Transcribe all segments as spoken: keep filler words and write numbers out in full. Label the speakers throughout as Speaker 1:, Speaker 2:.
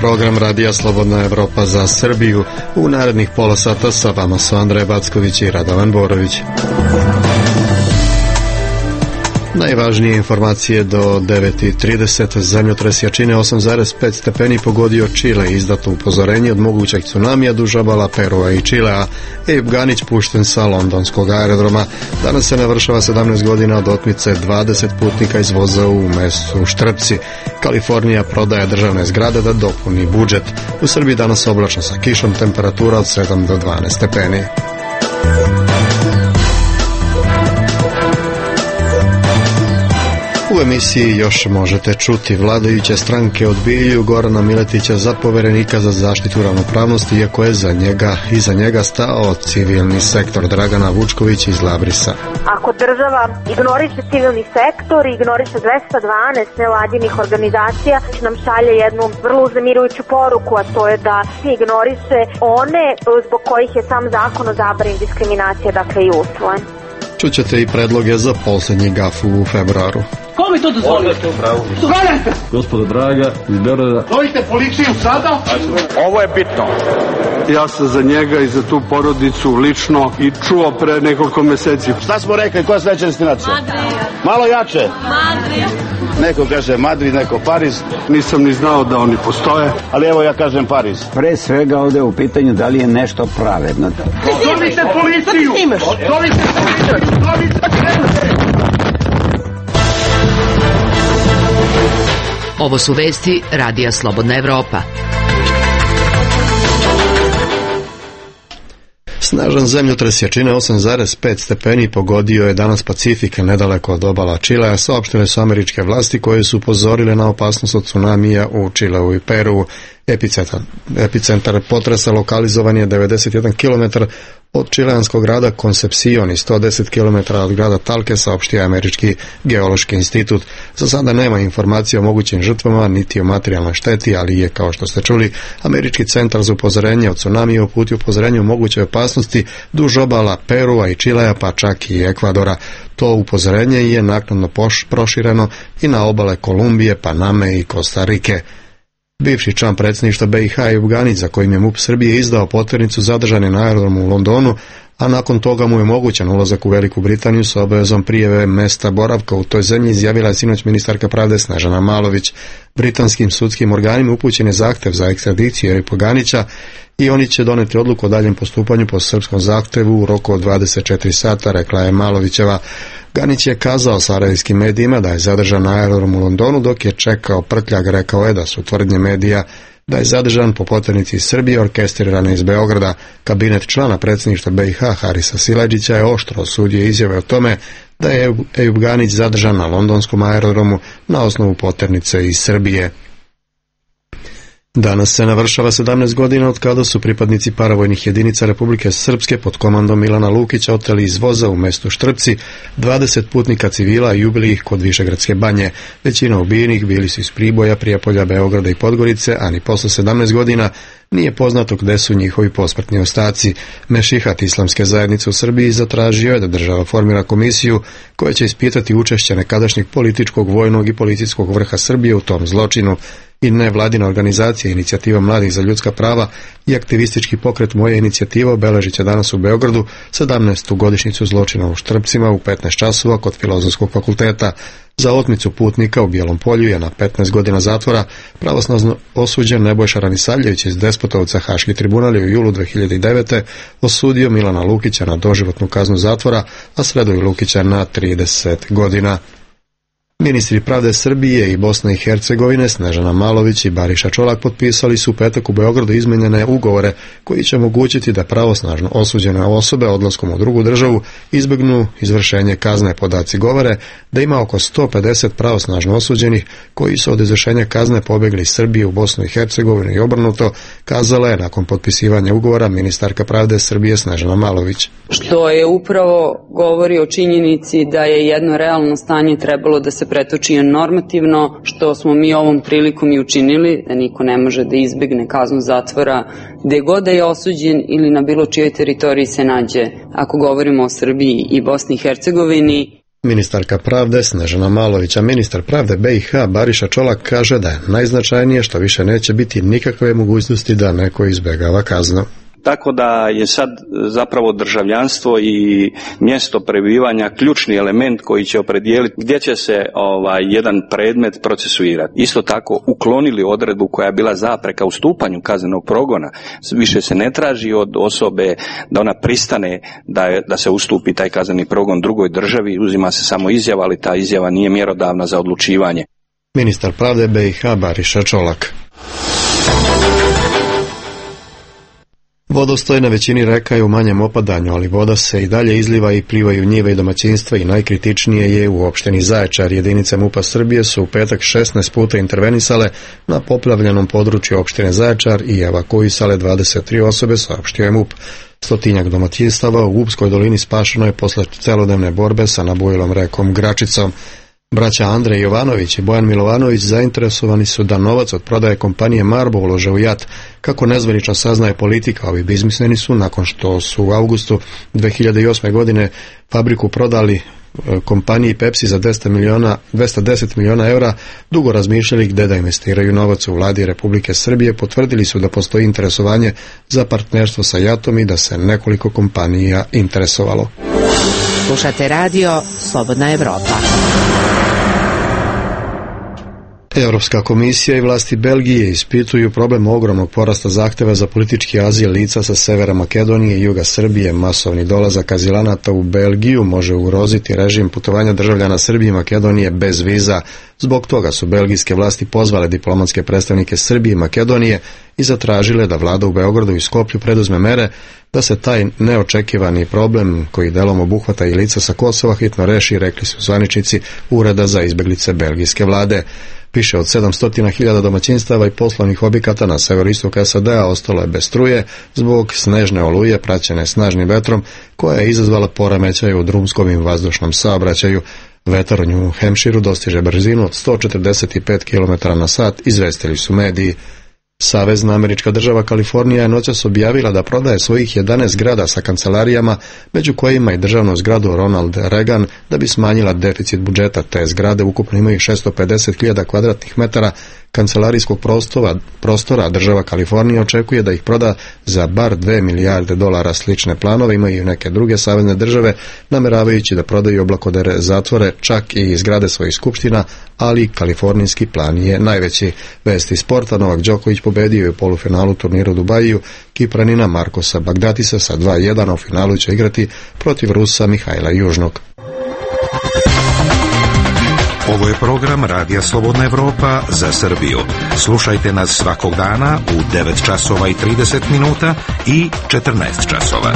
Speaker 1: program Radija Slobodna Evropa za Srbiju. U narednih pola sata sa vama su Andrej Backović i Radovan Borović. Najvažnije informacije do devet i trideset. Zemljotres jačine osam zarez pet stepeni pogodio Čile. Izdato upozorenje od mogućeg tsunamija duž obala Perua i Čilea. Ejub Ganić pušten sa londonskog aerodroma. Danas se navršava sedamnaest godina od otmice dvadeset putnika iz voza u mestu Štrpci. Kalifornija prodaje državne zgrade da dopuni budžet. U Srbiji danas oblačno sa kišom, temperatura od sedam do dvanaest stepeni. U emisiji još možete čuti: vladajuće stranke odbijaju Gorana Miletića za poverenika za zaštitu ravnopravnosti, iako je za njega i za njega stao civilni sektor. Dragana Vučković iz Labrisa.
Speaker 2: Ako država ignoriše civilni sektor, ignoriše dvesta dvanaest nevladinih organizacija, nam šalje jednu vrlo uznemirujuću poruku, a to je da se ignoriše one zbog kojih je sam zakon o zabrani diskriminacije, dakle, i usvojen.
Speaker 1: Čućete i predloge za posljednji gaf u februaru.
Speaker 3: Ko mi to dozvolite? Zovete!
Speaker 4: Gospodo draga, iz Beograda.
Speaker 3: Zovite policiju sada?
Speaker 5: Ovo je bitno.
Speaker 6: Ja sam za njega i za tu porodicu lično i čuo pre nekoliko meseci.
Speaker 5: Šta smo rekli, koja je sledeća destinacija?
Speaker 7: Madrid.
Speaker 5: Malo jače.
Speaker 7: Madrid.
Speaker 5: Neko kaže Madrid, neko Pariz.
Speaker 6: Nisam ni znao da oni postoje.
Speaker 5: Ali evo ja kažem Pariz.
Speaker 8: Pre svega ovde u pitanju da li je nešto pravedno.
Speaker 3: Zovite policiju! Zovite policiju! Zovite policiju!
Speaker 9: Ovo su vesti Radija Slobodna Evropa.
Speaker 1: Snažan zemljotres jačine osam zarez pet stepeni pogodio je danas Pacifika nedaleko od obala Čilea, saopštile su američke vlasti koje su upozorile na opasnost od tsunamija u Čileu i Peruu. Epicentar, epicentar potresa lokalizovan je devedeset jedan kilometar od čileanskog grada Concepcion i sto deset kilometara od grada Talke, saopštio je Američki geološki institut. Za sada nema informacije o mogućim žrtvama niti o materijalnoj šteti, ali je, kao što ste čuli, Američki centar za upozorenje o tsunamiju uputio upozorenje o mogućoj opasnosti duž obala Perua i Čilea, pa čak i Ekvadora. To upozorenje je naknadno prošireno i na obale Kolumbije, Paname i Kostarike. Bivši član predsjedništva be i ha Ejub Ganić, za kojim je MUP Srbije izdao potvrnicu, zadržan je na aerodromu u Londonu, a nakon toga mu je omogućen ulazak u Veliku Britaniju sa obavezom prijave mesta boravka u toj zemlji, izjavila je sinoć ministarka pravde Snežana Malović. Britanskim sudskim organima upućen je zahtev za ekstradiciju Ejuba Ganića i oni će doneti odluku o daljem postupanju po srpskom zahtevu u roku od dvadeset četiri sata, rekla je Malovićeva. Ganić je kazao sarajevskim medijima da je zadržan na aerodromu u Londonu dok je čekao prtljag. Rekao je da su tvrdnje medija da je zadržan po potvrnici iz Srbije orkestrirane iz Beograda. Kabinet člana predsjedništva be i ha Harisa Siledžića je oštro osudio izjave o tome da je Ejub Ganić zadržan na londonskom aerodromu na osnovu potvrnice iz Srbije. Danas se navršava sedamnaest godina od kada su pripadnici paravojnih jedinica Republike Srpske pod komandom Milana Lukića oteli iz voza u mestu Štrpci dvadeset putnika civila i ubili ih kod Višegradske banje. Većina ubijenih bili su iz Priboja, Prijepolja, Beograda i Podgorice, a ni posle sedamnaest godina nije poznato gde su njihovi posmrtni ostaci. Mešihat Islamske zajednice u Srbiji zatražio je da država formira komisiju koja će ispitati učešće nekadašnjeg političkog, vojnog i policijskog vrha Srbije u tom zločinu. I nevladina organizacija Inicijativa mladih za ljudska prava i aktivistički pokret Moja inicijativa obeležit će danas u Beogradu sedamnaestu godišnjicu zločina u Štrpcima u petnaest časova kod Filozofskog fakulteta. Za otmicu putnika u Bijelom Polju je na petnaest godina zatvora pravosnažno osuđen Nebojša Ranisavljević iz Despotovca. Haški tribunal je u julu dve hiljade devete. osudio Milana Lukića na doživotnu kaznu zatvora, a Sredoju Lukića na trideset godina. Ministri pravde Srbije i Bosne i Hercegovine Snežana Malović i Bariša Čolak potpisali su u petak u Beogradu izmenjene ugovore koji će omogućiti da pravosnažno osuđene osobe odlaskom u drugu državu izbjegnu izvršenje kazne. Podaci govore da ima oko sto pedeset pravosnažno osuđenih koji su od izvršenja kazne pobjegli iz Srbije u Bosnu i Hercegovinu i obrnuto, kazala je nakon potpisivanja ugovora ministarka pravde Srbije Snežana Malović.
Speaker 10: Što je upravo govori o činjenici da je jedno realno stanje trebalo da se pretoči normativno, što smo mi ovom prilikom i učinili, da niko ne može da izbegne kaznu zatvora gde god da je osuđen ili na bilo čijoj teritoriji se nađe, ako govorimo o Srbiji i Bosni i Hercegovini.
Speaker 1: Ministarka pravde Snežana Malović, a ministar pravde B i H Bariša Čolak kaže da je najznačajnije što više neće biti nikakve mogućnosti da neko izbjegava kaznu.
Speaker 7: Tako da je sad zapravo državljanstvo i mjesto prebivanja ključni element koji će opredijeliti gdje će se ovaj jedan predmet procesuirati. Isto tako uklonili odredbu koja je bila zapreka u stupanju kaznenog progona. Više se ne traži od osobe da ona pristane da, je, da se ustupi taj kazneni progon drugoj državi, uzima se samo izjava, ali ta izjava nije mjerodavna za odlučivanje.
Speaker 1: Ministar pravde B i H Bariša Čolak. Vodostoj na većini reka je u manjem opadanju, ali voda se i dalje izliva i plivaju njive i domaćinstva i najkritičnije je u opštini Zaječar. Jedinice MUP-a Srbije su u petak šesnaest puta intervenisale na poplavljenom području opštine Zaječar i evakuisale dvadeset tri osobe, saopštio je MUP. Stotinjak domaćinstava u Gubskoj dolini spašeno je posle celodnevne borbe sa nabujilom rekom Gračicom. Braća Andrej Jovanović i Bojan Milovanović zainteresovani su da novac od prodaje kompanije Marbo ulože u JAT. Kako nezvanično saznaje politika, ovi biznismeni su, nakon što su u avgustu dve hiljade osme. godine fabriku prodali kompaniji Pepsi za dvesta deset miliona eura, dugo razmišljali gde da investiraju novac. U vladi Republike Srbije potvrdili su da postoji interesovanje za partnerstvo sa JAT-om i da se nekoliko kompanija interesovalo.
Speaker 9: Slušate radio Slobodna Evropa.
Speaker 1: Europska komisija i vlasti Belgije ispituju problem ogromnog porasta zahteva za politički azil lica sa severa Makedonije i juga Srbije. Masovni dolazak azilanata u Belgiju može ugroziti režim putovanja državljana Srbije i Makedonije bez viza. Zbog toga su belgijske vlasti pozvale diplomatske predstavnike Srbije i Makedonije i zatražile da vlada u Beogradu i Skoplju preduzme mere da se taj neočekivani problem, koji delom obuhvata i lica sa Kosova, hitno reši, rekli su zvaničnici Ureda za izbeglice belgijske vlade. Više od sedamsto hiljada domaćinstava i poslovnih objekata na severoistoku S A D-a ostalo je bez struje zbog snežne oluje praćene snažnim vetrom koja je izazvala poremećaj u drumskom i vazdušnom saobraćaju. Vetar u New Hampshireu dostiže brzinu od sto četrdeset pet kilometara na sat, izvestili su mediji. Savezna američka država Kalifornija je noćas objavila da prodaje svojih jedanaest zgrada sa kancelarijama, među kojima i državnu zgradu Ronald Reagan, da bi smanjila deficit budžeta. Te zgrade ukupno imaju šesto pedeset hiljada kvadratnih metara kancelarijskog prostora, prostora. Država Kalifornija očekuje da ih proda za bar dve milijarde dolara. Slične planove imaju i neke druge savezne države, nameravajući da prodaju oblakodere zatvore, čak i zgrade svojih skupština, ali kalifornijski plan je najveći. Vesti sporta: Novak Đoković pobedio je u polufinalu turnira u Dubaju Kipranina Markosa Bagdatisa sa dva jedan, a u finalu će igrati protiv Rusa Mihajla Južnog.
Speaker 11: Ovo je program Radija Slobodna Evropa za Srbiju. Slušajte nas svakog dana u devet časova i trideset minuta i četrnaest časova.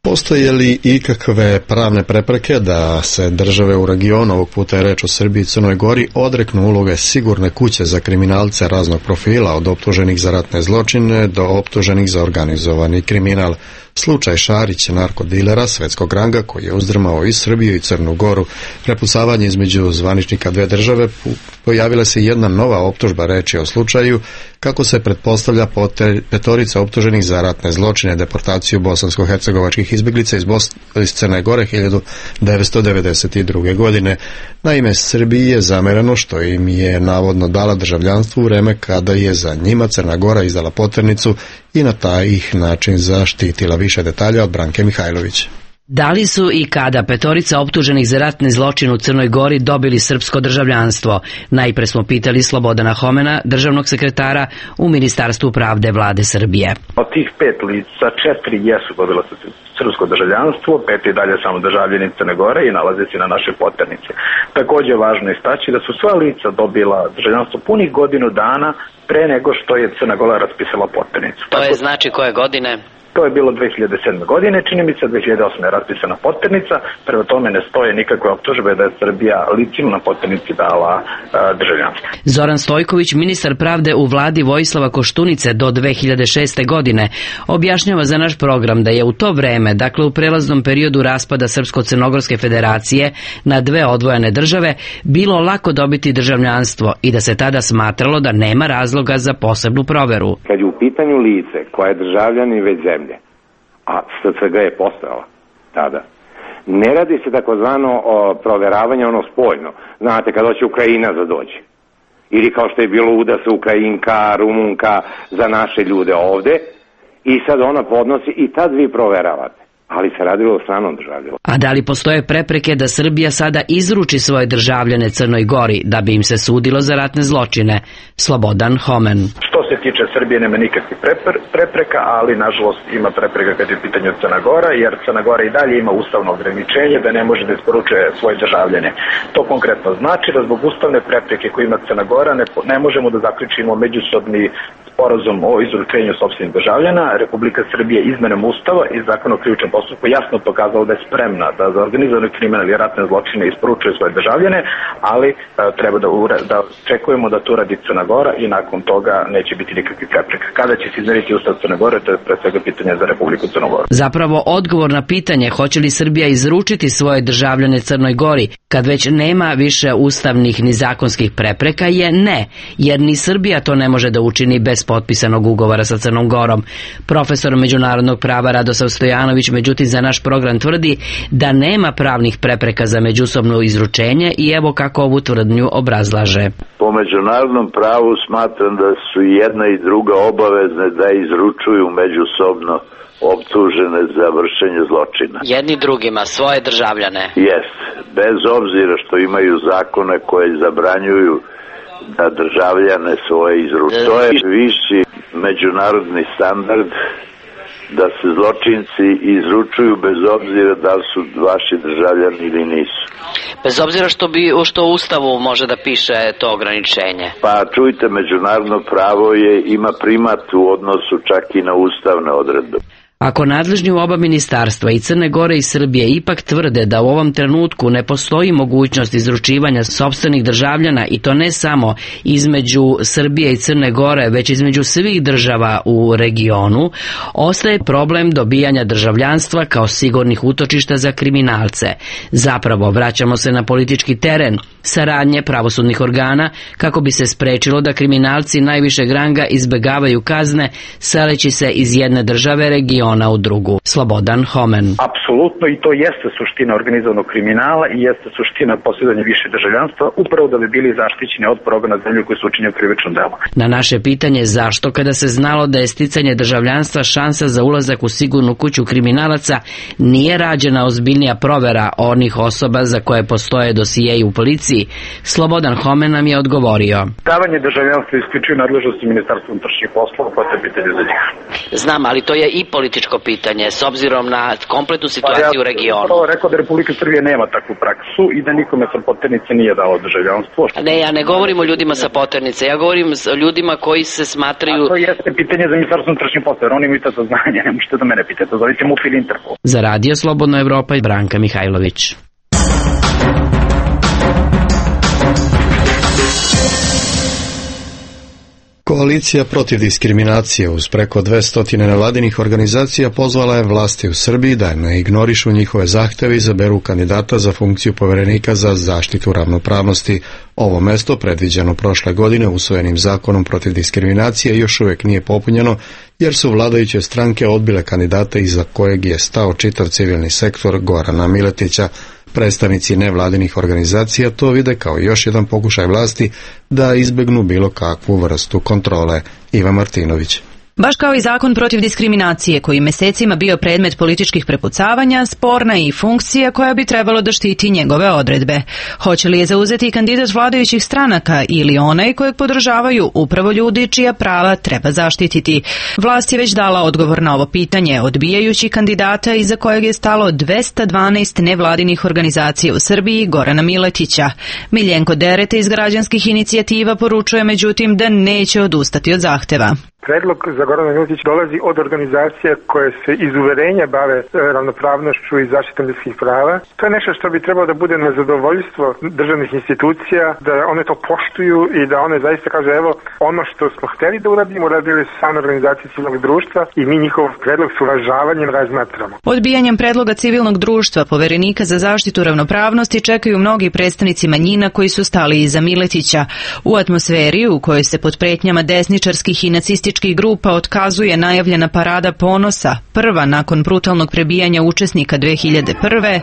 Speaker 1: Postoje li ikakve pravne prepreke da se države u regionu, ovog puta je reč o Srbiji i Crnoj Gori, odreknu uloge sigurne kuće za kriminalce raznog profila, od optuženih za ratne zločine do optuženih za organizovani kriminal? Slučaj Šarić, narkodilera svetskog ranga koji je uzdrmao i Srbiju i Crnu Goru. Prepucavanje između zvaničnika dve države, pojavila se jedna nova optužba. Reč je o slučaju kako se pretpostavlja petorica optuženih za ratne zločine, deportaciju bosansko-hercegovačkih izbjeglica iz, Bos- iz Crne Gore hiljadu devetsto devedeset druge. godine. Naime, Srbiji je zamereno što im je navodno dala državljanstvo u vreme kada je za njima Crna Gora izdala poternicu i na taj ih način zaštitila. Više detalja od Branke Mihajlović.
Speaker 12: Da li su i kada petorica optuženih za ratni zločin u Crnoj Gori dobili srpsko državljanstvo? Najpre smo pitali Slobodana Homena, državnog sekretara u Ministarstvu pravde vlade Srbije.
Speaker 13: Od tih pet lica, četiri jesu dobila srpsko državljanstvo, pet je dalje samo državljani Crne Gore i nalaze se na našoj poternici. Također je važno istaći da su sva lica dobila državljanstvo punih godinu dana pre nego što je Crna Gora raspisala poternicu.
Speaker 14: To je znači koje godine?
Speaker 13: To je bilo dve hiljade sedme godine, čini mi se, dve hiljade osme je raspisana poternica, prema tome ne stoje nikakve optužbe da je Srbija licima na poternici dala a, državljanstvo.
Speaker 12: Zoran Stojković, ministar pravde u vladi Vojislava Koštunice do dve hiljade šeste godine, objašnjava za naš program da je u to vreme, dakle u prelaznom periodu raspada Srpsko-Crnogorske federacije na dve odvojene države, bilo lako dobiti državljanstvo i da se tada smatralo da nema razloga za posebnu proveru.
Speaker 14: Kad je u pitanju lice koja je državljanin već zemlje, a S C G je postojala tada, ne radi se takozvano o proveravanje ono spoljno. Znate, kad hoće Ukrajina za dođe. Ili kao što je bilo uda se Ukrajinka, Rumunka za naše ljude ovde i sad ona podnosi i tad vi proveravate. Ali se radilo o stranom državljanu.
Speaker 12: A da li postoje prepreke da Srbija sada izruči svoje državljane Crnoj Gori da bi im se sudilo za ratne zločine? Slobodan Homen.
Speaker 13: Što se tiče Srbije nema nikakvih prepreka, ali nažalost ima prepreka kad je u pitanju Crna Gora, jer Crna Gora i dalje ima ustavno ograničenje da ne može da isporučuje svoje državljane. To konkretno znači da zbog ustavne prepreke koje ima Crna Gora ne, ne možemo da zaključimo međusobni sporazum o izručenju sopstvenih državljana. Republika Srbije izmenom ustava i zakona o krivičnom postupku jasno pokazala da je spremna da za organizovani kriminal i ratne zločine isporučuje svoje državljane, ali a, treba da, da čekujemo da to radi Crna Gora i nakon toga neće biti nikakvih prepreka. Kada će se izmeriti ustav Crne Gore, to je pre svega pitanje za Republiku Crnu Goru.
Speaker 12: Zapravo odgovor na pitanje hoće li Srbija izručiti svoje državljane Crnoj Gori, kad već nema više ustavnih ni zakonskih prepreka, je ne, jer ni Srbija to ne može da učini bez potpisanog ugovora sa Crnom Gorom. Profesor međunarodnog prava Radosav Stojanović međutim za naš program tvrdi da nema pravnih prepreka za međusobno izručenje i evo kako ovu tvrdnju obrazlaže.
Speaker 15: Po međunarodnom pravu smatram da su jedna i druga obavezne da izručuju međusobno optužene za vršenje zločina.
Speaker 12: Jedni drugima, svoje državljane.
Speaker 15: Jest, bez obzira što imaju zakone koje zabranjuju da državljane svoje izručuju. To je viši međunarodni standard da se zločinci izručuju bez obzira da li su vaši državljani ili nisu.
Speaker 12: Bez obzira što bi što u Ustavu može da piše to ograničenje.
Speaker 15: Pa čujte, međunarodno pravo je ima primat u odnosu čak i na ustavne odredbe.
Speaker 12: Ako nadležni u oba ministarstva i Crne Gore i Srbije ipak tvrde da u ovom trenutku ne postoji mogućnost izručivanja sopstvenih državljana i to ne samo između Srbije i Crne Gore, već između svih država u regionu, ostaje problem dobijanja državljanstva kao sigurnih utočišta za kriminalce. Zapravo, vraćamo se na politički teren, saradnje pravosudnih organa kako bi se sprečilo da kriminalci najvišeg ranga izbegavaju kazne seleći se iz jedne države regiona u drugu. Slobodan Homen.
Speaker 13: Apsolutno, i to jeste suština organizovanog kriminala i jeste suština posjedovanja više državljanstva, upravo da bi bili zaštićeni od progona zemlje koji su učinili krivično delo.
Speaker 12: Na naše pitanje zašto kada se znalo da je sticanje državljanstva šansa za ulazak u sigurnu kuću kriminalaca nije rađena ozbiljnija provera onih osoba za koje postoje dosijeji u policiji, Slobodan Homen nam je odgovorio.
Speaker 13: Davanje državljanstva isključuje nadležnosti Ministarstva unutrašnjih poslova, pa to je pitanje za njih.
Speaker 12: Znam, ali to je i političko pitanje s obzirom na kompletnu situaciju
Speaker 13: pa ja,
Speaker 12: u regionu.
Speaker 13: Ja sam rekao da Republika Srbije nema takvu praksu i da nikome sa poternice nije dalo državljanstvo.
Speaker 12: Ne, ja ne govorim o ljudima sa poternice, ja govorim o ljudima koji se smatraju...
Speaker 13: A to jeste pitanje za Ministarstvo unutrašnjih poslova, jer oni imaju to saznanje, ne možete da mene pitate, zovite MUP ili Interpol.
Speaker 12: Za Radio Slobodna Evropa i Branka Mihajlović.
Speaker 1: Koalicija protiv diskriminacije uz preko dvesta nevladinih organizacija pozvala je vlasti u Srbiji da ne ignorišu njihove zahteve i izaberu kandidata za funkciju poverenika za zaštitu ravnopravnosti. Ovo mesto, predviđeno prošle godine usvojenim zakonom protiv diskriminacije, još uvijek nije popunjeno jer su vladajuće stranke odbile kandidata iza kojeg je stao čitav civilni sektor Gorana Miletića. Predstavnici nevladinih organizacija to vide kao još jedan pokušaj vlasti da izbjegnu bilo kakvu vrstu kontrole. Iva Martinović.
Speaker 16: Baš kao i zakon protiv diskriminacije, koji mesecima bio predmet političkih prepucavanja, sporna je i funkcija koja bi trebalo da štiti njegove odredbe. Hoće li je zauzeti kandidat vladajućih stranaka ili onaj kojeg podržavaju upravo ljudi čija prava treba zaštititi? Vlast je već dala odgovor na ovo pitanje, odbijajući kandidata iza kojeg je stalo dvesta dvanaest nevladinih organizacija u Srbiji, Gorana Miletića. Miljenko Derete iz građanskih inicijativa poručuje međutim da neće odustati od zahteva.
Speaker 17: Predlog za Gorana Miletića dolazi od organizacija koje se iz uverenja bave ravnopravnošću i zaštitom ljudskih prava. To je nešto što bi trebalo da bude na zadovoljstvo državnih institucija, da one to poštuju i da one zaista kaže evo ono što smo hteli da uradimo, uradili su same organizacije civilnog društva i mi njihov predlog s uvažavanjem razmatramo.
Speaker 16: Odbijanjem predloga civilnog društva Poverenika za zaštitu ravnopravnosti čekaju mnogi predstavnici manjina koji su stali iza Miletića. U atmosferi u kojoj se pod pretnjama desničarskih i nacističkih grupa otkazuje najavljena parada ponosa, prva nakon brutalnog prebijanja učesnika dve hiljade prve.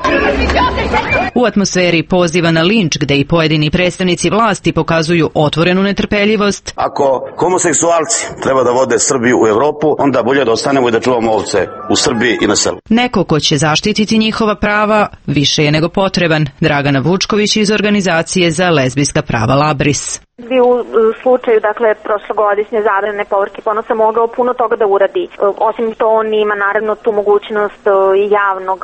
Speaker 16: U atmosferi poziva na linč gde i pojedini predstavnici vlasti pokazuju otvorenu netrpeljivost.
Speaker 5: Ako homoseksualci treba da vode Srbiju u Evropu, onda bolje da ostanemo i da čuvamo ovce u Srbiji i na selu.
Speaker 16: Neko ko će zaštititi njihova prava više je nego potreban. Dragana Vučković iz organizacije za lezbijska prava Labris.
Speaker 2: Bi u slučaju, dakle, prošlogodišnje zabrane povorke ponosa mogao puno toga da uradi. Osim to, on ima naravno tu mogućnost javnog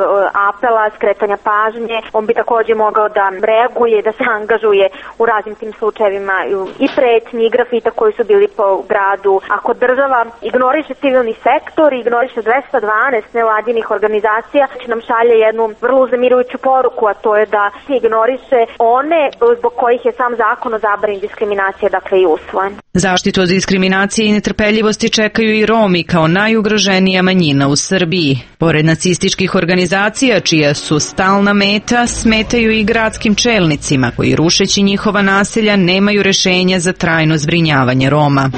Speaker 2: apela, skretanja pažnje. On bi takođe mogao da reaguje, da se angažuje u raznim tim slučajevima i pretnji, i grafita koji su bili po gradu. Ako država ignoriše civilni sektor, ignoriše dvesta dvanaest nevladinih organizacija, nam šalje jednu vrlo uznemirujuću poruku, a to je da se ignoriše one zbog kojih je sam zakon o zabrani diskriminacije, dakle, i usvojen.
Speaker 16: Zaštitu od diskriminacije i netrpeljivosti čekaju i Romi kao najugroženija manjina u Srbiji. Pored nacističkih organizacija, čija su stalna meta, smetaju i gradskim čelnicima, koji rušeći njihova naselja nemaju rešenja za trajno zbrinjavanje Roma.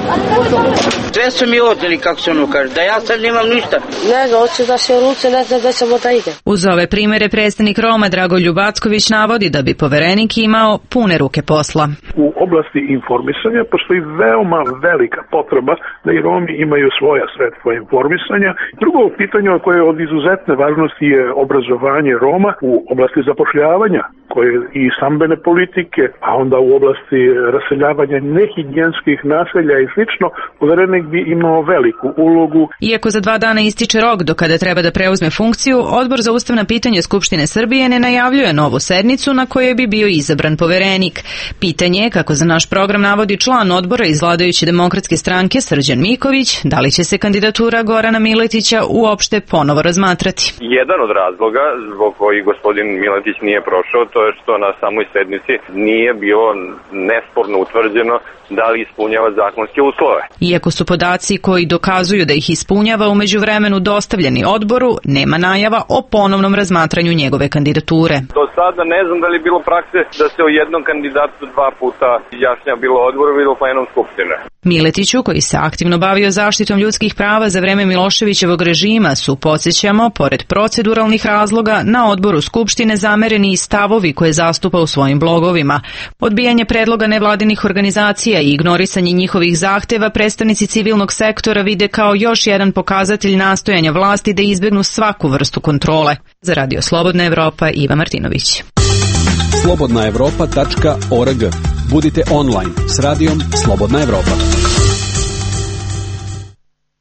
Speaker 18: Sve su mi odeli, kako se ono kaže, da ja sad nemam ništa.
Speaker 19: Ne znam, hoće da se ruce, ne znam da ćemo da ide.
Speaker 16: Uz ove primere predstavnik Roma Dragoljub Acković navodi da bi Poverenik imao pune ruke posla.
Speaker 20: U oblasti informisanja postoji veoma velika potreba da i Romi imaju svoja sredstva informisanja. Drugo pitanje koje je od izuzetne važnosti je obrazovanje Roma u oblasti zapošljavanja, koje i stambene politike, a onda u oblasti raseljavanja nehigijenskih naselja i slično. Poverenik bi imao veliku ulogu.
Speaker 16: Iako za dva dana ističe rok do kada treba da preuzme funkciju, Odbor za ustavna pitanja Skupštine Srbije ne najavljuje novu sednicu na kojoj bi bio izabran Poverenik. Pitanje je, kako za naš program navodi član odbora iz vladajuće demokratske stranke Srđan Miković, da li će se kandidatura Gorana Miletića uopšte ponovo razmatrati.
Speaker 21: Jedan od razloga zbog koji gospodin Miletić nije prošao, to je što na samoj sednici nije bilo nesporno utvrđeno da li ispunjava zakonske uslove.
Speaker 16: Iako su podaci koji dokazuju da ih ispunjava u međuvremenu dostavljeni odboru, nema najava o ponovnom razmatranju njegove kandidature.
Speaker 21: Do sada ne znam da li je bilo prakse da se o jednom kandidatu dva puta izjašnjava bilo odboru, bilo plenom Skupštine.
Speaker 16: Miletiću, koji se aktivno bavio zaštitom ljudskih prava za vreme Miloševićevog režima, su, podsjećamo, pored proceduralnih razloga, na odboru Skupštine zamereni i stavovi koje zastupa u svojim blogovima. Odbijanje predloga nevladinih organizacija i ignorisanje njihovih zahteva predstavnici civilnog sektora vide kao još jedan pokazatelj nastojanja vlasti da izbegnu svaku vrstu kontrole. Za Radio Slobodna Evropa, Iva Martinović.
Speaker 22: slobodna evropa tačka org. Budite online s radijom Slobodna Evropa.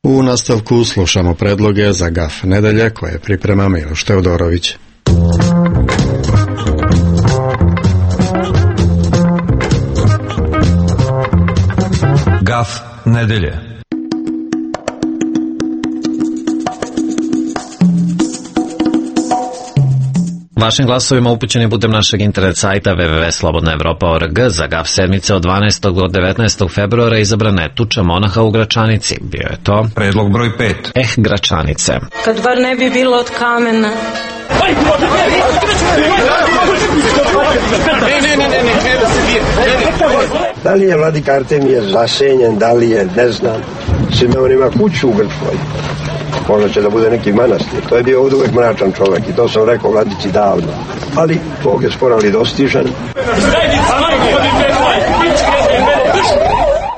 Speaker 1: U nastavku slušamo predloge za gaf nedelje koje priprema Miloš Teodorović.
Speaker 11: Gaf nedelje.
Speaker 23: Vašim glasovima upućeni putem našeg internet sajta w w w tačka slobodna evropa tačka org za gaf sedmice od dvanaestog do devetnaestog februara izabrana je tuča monaha u Gračanici. Bio je to
Speaker 11: predlog broj pet.
Speaker 23: Eh, Gračanice.
Speaker 19: Kad bar ne bi bilo od kamena.
Speaker 24: Da li je vladika Artemije zasenjen, da li je, ne znam, Simeon ima kuću u Grčkoj. Možda će da bude neki manastir. To je bio ovdje uvek mračan čovjek i to sam rekao vladici davno. Ali Bog je sporo ali dostižan.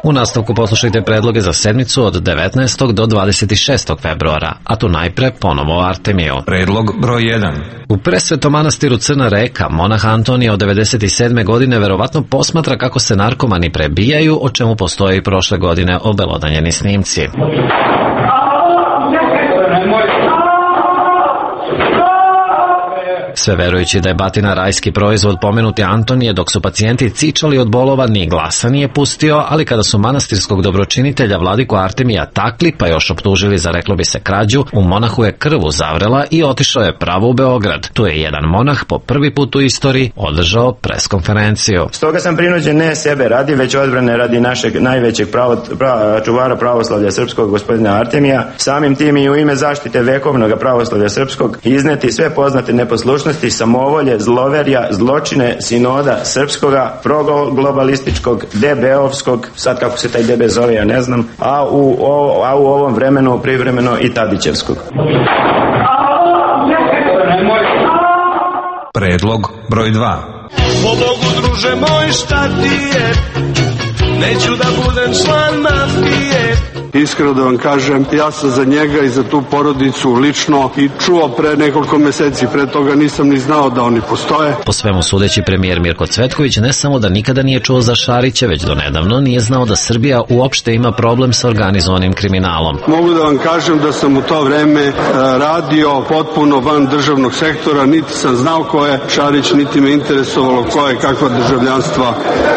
Speaker 23: U nastavku poslušajte predloge za sedmicu od devetnaestog do dvadeset šestog februara, a tu najpre ponovo Artemiju.
Speaker 11: Predlog broj jedan.
Speaker 23: U presvetom manastiru Crna Reka, monah Antonija od devedeset sedme godine verovatno posmatra kako se narkomani prebijaju, o čemu postoje i prošle godine obelodanjeni snimci. Sve verujući da je batina rajski proizvod, pomenuti Antonije, dok su pacijenti cičali od bolova, ni glasa nije pustio, ali kada su manastirskog dobročinitelja vladiku Artemija takli, pa još optužili za, reklo bi se, krađu, u monahu je krv uzavrela i otišao je pravo u Beograd. Tu je jedan monah po prvi put u istoriji održao preskonferenciju.
Speaker 3: Stoga sam prinuđen ne sebe radi, već odbrane radi našeg najvećeg pravo, pra, čuvara pravoslavlja srpskog, gospodina Artemija, samim tim i u ime zaštite vekovnog pravoslavlja srpskog izneti sve poznate neposlušnosti, samovolje, zloverja, zločine sinoda srpskoga, proglobalističkog, D B-ovskog, sad kako se taj D B zove, ja ne znam, a u, o, a u ovom vremenu privremeno i Tadićevskog.
Speaker 11: Predlog broj dva.
Speaker 4: Po Bogu, druže moj, šta ti je? Neću da budem član mafije.
Speaker 6: Iskreno da vam kažem, ja sam za njega i za tu porodicu lično i čuo pre nekoliko meseci, pre toga nisam ni znao da oni postoje.
Speaker 23: Po svemu sudeći, premijer Mirko Cvetković ne samo da nikada nije čuo za Šarića, već do nedavno nije znao da Srbija uopšte ima problem sa organizovanim kriminalom.
Speaker 6: Mogu da vam kažem da sam u to vreme radio potpuno van državnog sektora, niti sam znao ko je Šarić, niti me interesovalo ko je kakva državljanstva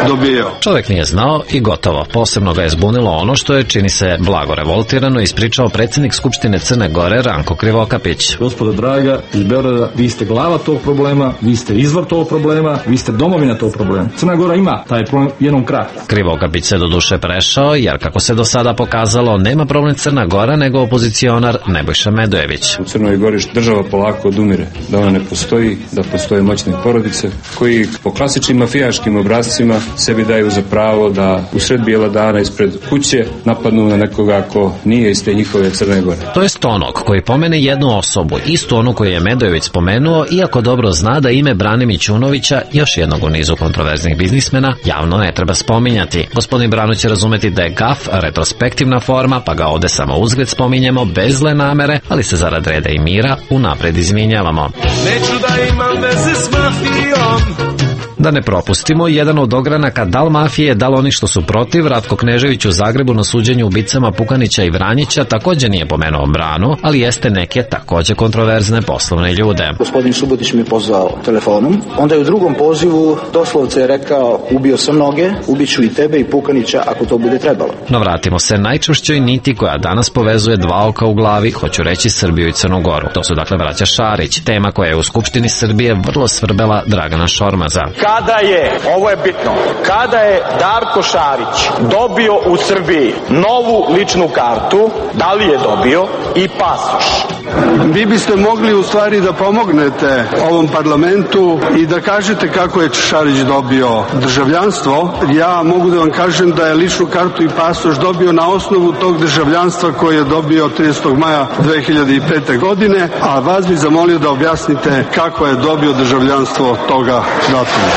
Speaker 6: dobijao.
Speaker 23: Čovjek nije znao i gotovo. Posebno ga je zbunilo ono što je, čini se, blago revoltirano ispričao predsjednik Skupštine Crne Gore Ranko Krivokapić.
Speaker 8: Gospodo draga, iz Beograda, vi ste glava tog problema, vi ste izvor tog problema, vi ste domovina tog problema. Crna Gora ima taj problem jednom kratko.
Speaker 23: Krivokapić se do duše prešao, jer kako se do sada pokazalo, nema problem Crna Gora nego opozicionar Nebojša Medojević.
Speaker 8: U Crnoj Gori država polako odumire, da ona ne postoji, da postoje moćne porodice koji po klasičnim mafijaškim obrascima sebi daju za pravo da u sred bijela dana ispred kuće napadnu na nekoga ako nije iz te njihove Crne Gore.
Speaker 23: To jest onog koji pomene jednu osobu, istu onu koju je Medojević spomenuo, iako dobro zna da ime Brane Mićunovića, još jednog u nizu kontroverznih biznismena, javno ne treba spominjati. Gospodin Brano će razumeti da je gaf retrospektivna forma, pa ga ovde samo uzgled spominjemo bez zle namere, ali se zarad reda i mira unapred izvinjavamo.
Speaker 4: Neću da imam veze s mafijom.
Speaker 23: Da ne propustimo, jedan od ogranaka dal mafije, dal oni što su protiv, Ratko Knežević u Zagrebu na suđenju ubicama Pukanića i Vranjića također nije pomenuo Branu, ali jeste neke također kontroverzne poslovne ljude.
Speaker 25: Gospodin Subotić me pozvao telefonom, onda je u drugom pozivu doslovce rekao: ubio sam mnoge, ubiću i tebe i Pukanića ako to bude trebalo.
Speaker 23: No vratimo se najčvršćoj niti koja danas povezuje dva oka u glavi, hoću reći Srbiju i Crnu Goru. To su dakle braća Šarić, tema koja je u Skupštini Srbije vrlo svrbela Dragana Šormaza.
Speaker 26: Kada je, ovo je bitno, kada je Darko Šarić dobio u Srbiji novu ličnu kartu, da li je dobio i pasoš?
Speaker 6: Vi biste mogli u stvari da pomognete ovom parlamentu i da kažete kako je Šarić dobio državljanstvo. Ja mogu da vam kažem da je ličnu kartu i pasoš dobio na osnovu tog državljanstva koje je dobio tridesetog maja dve hiljade pete. godine, a vas bih zamolio da objasnite kako je dobio državljanstvo toga datuma.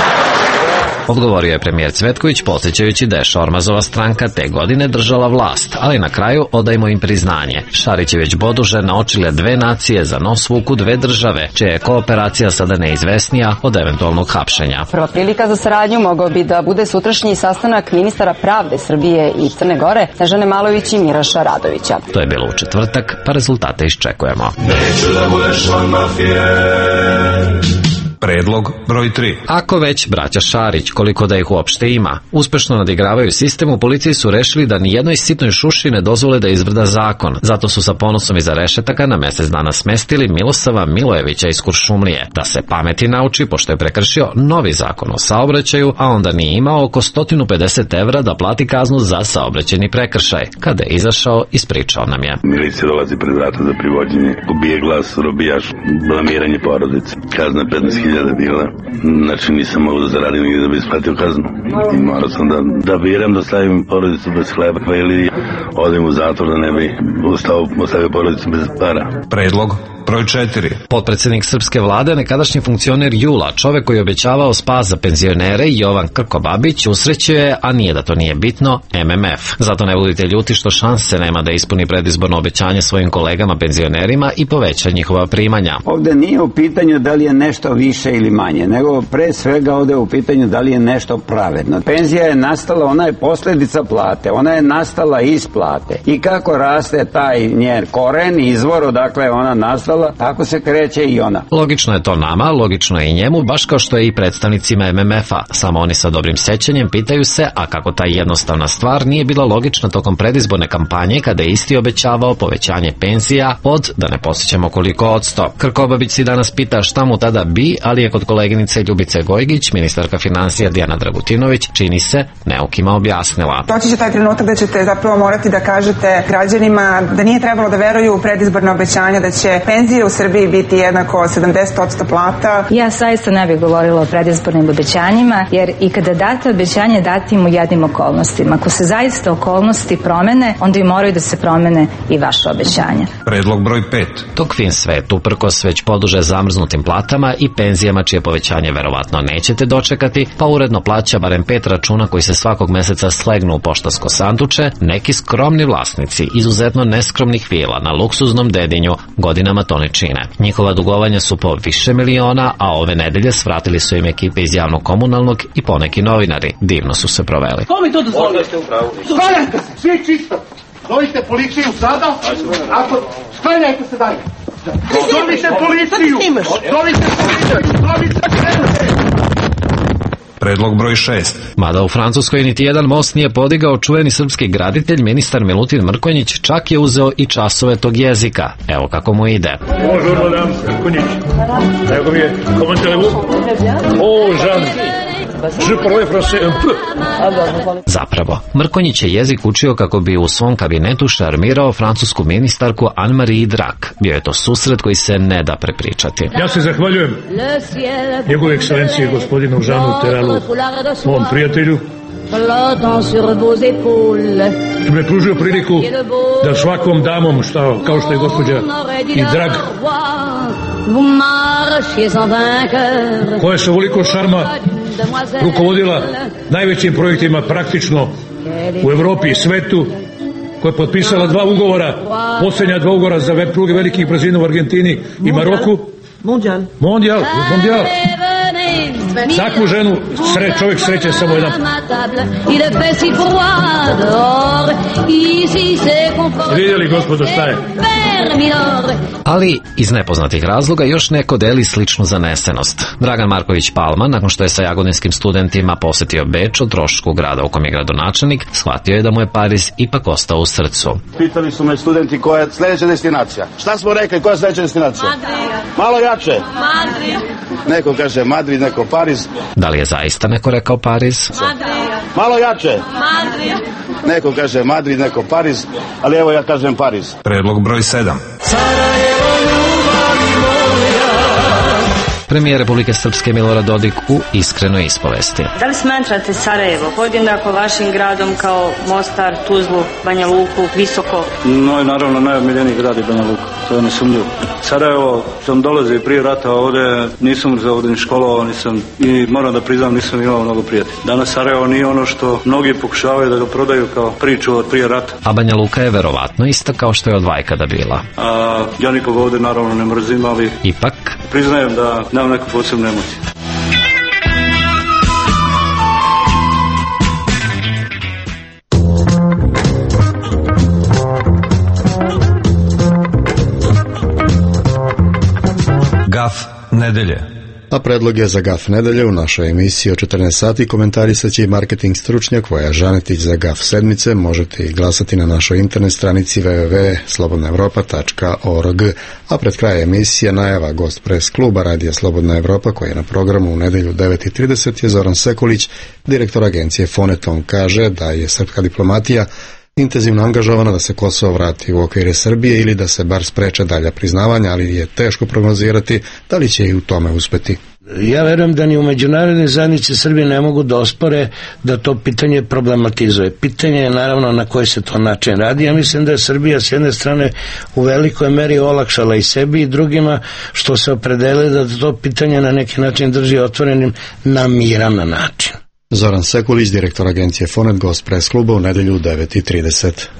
Speaker 23: Odgovorio je premijer Cvetković, podsjećajući da je Šormazova stranka te godine držala vlast, ali na kraju odajmo im priznanje. Šarić je već boduže naočile dve nacije za nos vuku dve države, čija je kooperacija sada neizvesnija od eventualnog hapšenja.
Speaker 27: Prva prilika za saradnju mogao bi da bude sutrašnji sastanak ministara pravde Srbije i Crne Gore, Snežane Malović i Miraša Radovića.
Speaker 23: To je bilo u četvrtak, pa rezultate iščekujemo.
Speaker 4: Neću da budeš član mafije.
Speaker 11: Predlog broj tri.
Speaker 23: Ako već braća Šarić, koliko da ih uopšte ima, uspešno nadigravaju sistem, u policiji su rešili da ni jednoj sitnoj šuši ne dozvole da izvrda zakon. Zato su sa ponosom iza rešetaka na mesec dana smestili Milosava Milojevića iz Kuršumlije. Da se pameti nauči, pošto je prekršio novi zakon o saobraćaju, a onda nije imao oko sto pedeset evra da plati kaznu za saobraćajni prekršaj. Kada je izašao, ispričao nam je.
Speaker 28: Milicija dolazi pred vrata za privođenje, ubije glas, robijaš, blamiranje porodice. Kazna petnaest hiljada bila. Znači nisam mogu da zaradim nigde da bi isplatio kaznu. I morao sam da, da biram da stavim porodicu bez hleba ili odem u zatvor da ne bi ustao, ostavio porodicu bez para.
Speaker 11: Predlog broj četiri.
Speaker 23: Potpredsjednik srpske vlade, nekadašnji funkcioner Jula, čovek koji je obećavao spas za penzionere, Jovan Krkobabić, usrećio je, a nije da to nije bitno, M M F. Zato ne budite ljuti što šanse nema da ispuni predizborno obećanje svojim kolegama penzionerima i poveća njihova primanja.
Speaker 29: Ovde nije u pitanju da li je nešto više ili manje, nego pre svega ovde je u pitanju da li je nešto pravedno. Penzija je nastala, ona je posledica plate, ona je nastala iz plate. I kako raste taj njen koren, izvor, odakle ona nastala, ostala, tako se kreće i ona.
Speaker 23: Logično je to nama, logično je i njemu, baš kao što je i predstavnicima em em efa. Samo oni sa dobrim sećanjem pitaju se, a kako ta jednostavna stvar nije bila logična tokom predizborne kampanje kada je isti obećavao povećanje penzija od, da ne posjećamo koliko odsto. Krkobabić si danas pita šta mu tada bi, ali je kod koleginice Ljubice Gojgić, ministarka financija Dijana Dragutinović, čini se, neukima objasnila.
Speaker 5: Doći će taj trenutak da ćete zapravo morati da kažete građanima da nije trebalo da veruju u predizborne obećanja da će penzije u Srbiji biti jednako sedamdeset posto plata.
Speaker 7: Ja saista ne bih govorila o predizbornim obećanjima, jer i kada date obećanje, dati im u jednim okolnostima. Ako se zaista okolnosti promene, onda i moraju da se promene i vaše obećanje.
Speaker 11: Predlog broj pet.
Speaker 23: Tog fin svet, uprkos već poduže zamrznutim platama i penzijama čije povećanje verovatno nećete dočekati, pa uredno plaća barem pet računa koji se svakog meseca slegnu u poštansko sanduče, neki skromni vlasnici izuzetno neskromnih vila na luksuznom Dedinju godinama to ne čine. Njihova dugovanja su po više miliona, a ove nedelje svratili su im ekipe iz javnog komunalnog i poneki novinari. Divno su se proveli.
Speaker 9: Ko mi to dozvolio? Sklanjajte se, svi čisto. Zovite policiju sada, ako sklanjajte se dalje. Zovite policiju, zovite policiju, zovite policiju.
Speaker 11: Predlog broj šest.
Speaker 23: Mada u Francuskoj niti jedan most nije podigao čuveni srpski graditelj, ministar Milutin Mrkonjić čak je uzeo i časove tog jezika. Evo kako mu ide.
Speaker 9: Bonjour, madame Mrkonjić. Evo mi je, comment allez-vous? Oh, Jean. Je parle français un peu.
Speaker 23: Zapravo, Mrkonjić je jezik učio kako bi u svom kabinetu šarmirao francusku ministarku Anne-Marie Drak. Bio je to susret koji se ne da prepričati.
Speaker 9: Ja se zahvaljujem njegove ekscelencije gospodinu Žanu Teralu, mom prijatelju, što me pružio priliku da svakom damom, šta, kao što je gospođa i Drag, koja se ovoliko šarma rukovodila najvećim projektima praktično u Evropi i svetu, koja je potpisala dva ugovora, posljednja dva ugovora za pruge velikih brzina u Argentini i Maroku. Mondial. Mondial, mondial. Takvu ženu sre, čovjek sreće samo jedan. Vidjeli gospodo šta je?
Speaker 23: Ali iz nepoznatih razloga još neko deli sličnu zanesenost. Dragan Marković Palma, nakon što je sa jagodinskim studentima posetio Beč o trošku grada u kom je gradonačelnik, shvatio je da mu je Pariz ipak ostao u srcu.
Speaker 10: Pitali su me studenti koja je sljedeća destinacija. Šta smo rekli, koja je sljedeća destinacija? Madrid. Malo jače. Madrid. Neko kaže Madrid, neko Pariz.
Speaker 23: Da li je zaista neko rekao Pariz?
Speaker 10: Madrid. Malo jače. Madrid. Neko kaže Madrid, neko Pariz, ali evo ja kažem Pariz.
Speaker 11: Predlog broj sedam.
Speaker 23: Premijer Republike Srpske Milorad Dodik u iskrenoj ispovesti.
Speaker 19: Da li smatrate Sarajevo podjednako vašim gradom kao Mostar, Tuzlu, Banja Luku, Visoko?
Speaker 12: No i naravno najomiljeniji grad je Banja Luka, to je nesumnjivo. Sarajevo sam dolazio prije rata ovdje, nisam za ovdje ni školovao, nisam i moram da priznam nisam imao mnogo prijatelja. Danas Sarajevo nije ono što mnogi pokušavaju da ga prodaju kao priču od prije rata.
Speaker 23: A Banja Luka je verovatno ista kao što je od vajkada bila.
Speaker 12: A ja nikog ovdje naravno ne mrzim, ali
Speaker 23: ipak
Speaker 12: priznajem da nemam neku posebnu emociju.
Speaker 11: Gaf nedelje.
Speaker 1: A predlog je za Gaf nedelje u našoj emisiji o četrnaest sati komentarisat će i marketing stručnjak Voja Žanetić za Gaf sedmice. Možete i glasati na našoj internet stranici w w w tačka slobodna evropa tačka org. A pred kraj emisije najava gost pres kluba Radija Slobodna Evropa koji je na programu u nedelju u devet i trideset je Zoran Sekulić, direktor agencije Foneton. Kaže da je srpska diplomatija intenzivno angažovana da se Kosovo vrati u okvire Srbije ili da se bar spreče dalja priznavanja, ali je teško prognozirati da li će i u tome uspeti.
Speaker 13: Ja verujem da ni u međunarodnoj zajednici Srbije ne mogu da ospore da to pitanje problematizuje. Pitanje je naravno na koji se to način radi. Ja mislim da je Srbija s jedne strane u velikoj meri olakšala i sebi i drugima što se opredele da to pitanje na neki način drži otvorenim na miran način.
Speaker 1: Zoran Sekulić, direktor agencije Fonet, gost pres kluba u nedelju u devet i trideset.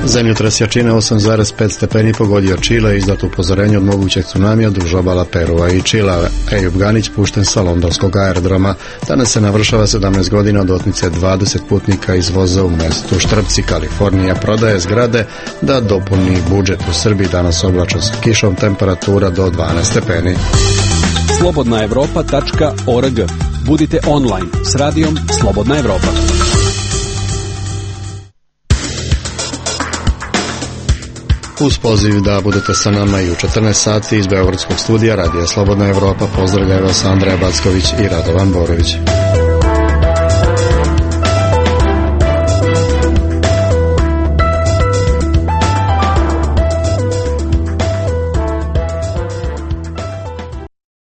Speaker 1: Zemljotres jačine osam zarez pet stepeni pogodio Čile, izdato upozorenje od mogućeg tsunamija duž obala Perua i Čila. Ejub Ganić pušten sa londonskog aerodroma. Danas se navršava sedamnaest godina od otmice dvadeset putnika iz voza u mestu Štrpci. Kalifornija prodaje zgrade da dopuni budžet. U Srbiji danas oblačno sa kišom, temperatura do dvanaest stepeni.
Speaker 2: slobodna evropa tačka org. Budite online s radijom Slobodna Evropa.
Speaker 1: Uz poziv da budete sa nama i u četrnaest sati iz beogradskog studija Radija Slobodna Evropa pozdravljaju vas Andreja Backović i Radovan Borović.